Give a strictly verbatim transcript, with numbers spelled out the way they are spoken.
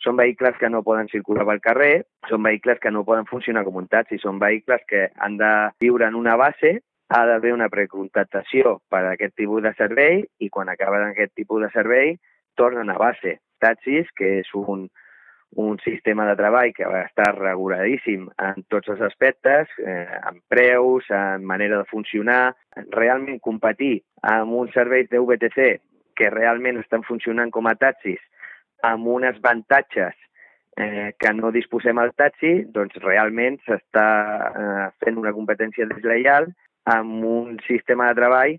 són vehicles que no poden circular pel carrer, són vehicles que no poden funcionar com un taxi, són vehicles que han de viure en una base, ha d'haver una precontractació per a aquest tipus de servei i quan acaben aquest tipus de servei tornen a base. Taxis, que és un, un sistema de treball que va estar reguladíssim en tots els aspectes, eh, en preus, en manera de funcionar, realment competir amb uns serveis de V T C que realment estan funcionant com a taxis amb uns avantatges eh, que no disposem al taxi, doncs realment s'està eh, fent una competència deslleial amb un sistema de treball